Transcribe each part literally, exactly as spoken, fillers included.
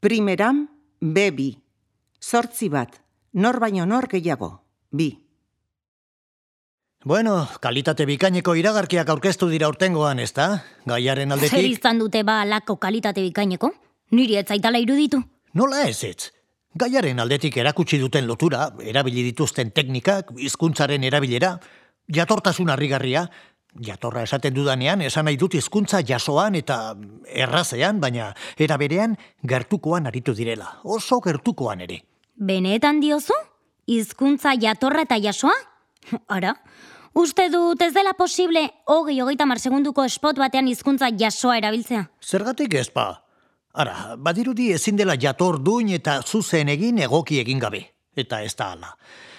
Primeran, be bi. Zortzi bat. Nor baino nor gehiago. Bi. Bueno, kalitate bikaineko iragarkiak aurkeztu dira urtengoan, ezta? Gaiaren aldetik... Zer izan dute ba alako kalitate bikaineko? Niri ez zaitala iruditu. Nola ez ez? Gaiaren aldetik erakutsi duten lotura, erabili dituzten teknikak, hizkuntzaren erabilera, jatortasun harrigarria, jatorra esaten dudanean, esan nahi dut hizkuntza jasoan eta errazean, baina era berean gertukoan aritu direla, oso gertukoan ere. Benetan diozu? Hizkuntza jatorra eta jasoa? Ara, uste dut ez dela posible hogei hogeita hamar segunduko spot batean hizkuntza jasoa erabiltzea. Zergatik ez ba? Ara, badirudi ezin dela jator duin eta zuzen egin egoki egin gabe. Eta ez da hala.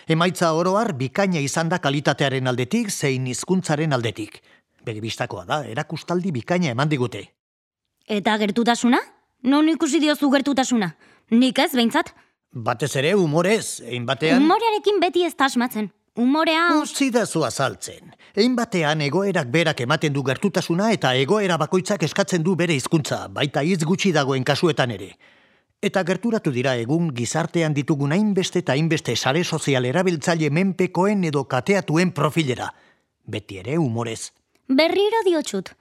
Emaitza oroar bikaina izan da kalitatearen aldetik zein hizkuntzaren aldetik. Begibistakoa da, erakustaldi bikaina eman digute. Eta gertutasuna? Non ikusi diozu gertutasuna? Nik ez, behintzat? Batez ere humorez, egin batean... Humorearekin beti ez da asmatzen. Humorea... Utzi da zu azaltzen. Egin batean egoerak berak ematen du gertutasuna eta egoera bakoitzak eskatzen du bere hizkuntza, baita hitz gutxi dagoen kasuetan ere. Eta gerturatu dira egun gizartean ditugun hainbeste eta hainbeste sare sozial erabiltzaile menpekoen edo kateatuen profilera. Beti ere humorez. Berriro diotxut.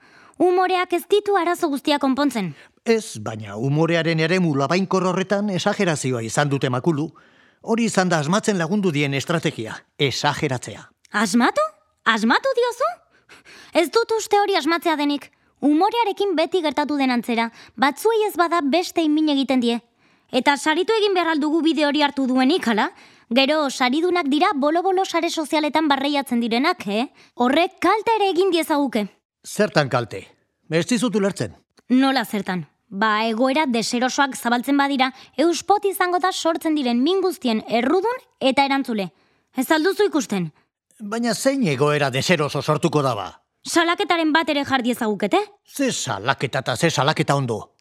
Humoreak ez ditu arazo guztia konpontzen. Ez, baina humorearen eremu labainkor horretan esagerazioa izan dute makulu. Hori izan da asmatzen lagundu dien estrategia, esageratzea. Asmatu? Asmatu diozu? Ez dut uste hori asmatzea denik. Humorearekin beti gertatu den antzera, batzuei ez bada beste min egiten die. Eta saritu egin behar aldugu bide hori hartu duenik, hala? Gero, saridunak dira bolo-bolo sare sozialetan barreiatzen direnak, eh? Horrek kalte ere egin diezaguke. Zertan kalte? Ez dizut ulertzen. Nola zertan? Ba, egoera deserosoak zabaltzen badira, euspot izango da sortzen diren min guztien errudun eta erantzule. Ez alduzu ikusten? Baina zein egoera deseroso sortuko da ba? Salaketaren bat ere jardi ezagukete? Ze salaketa eta ze salaketa ondo.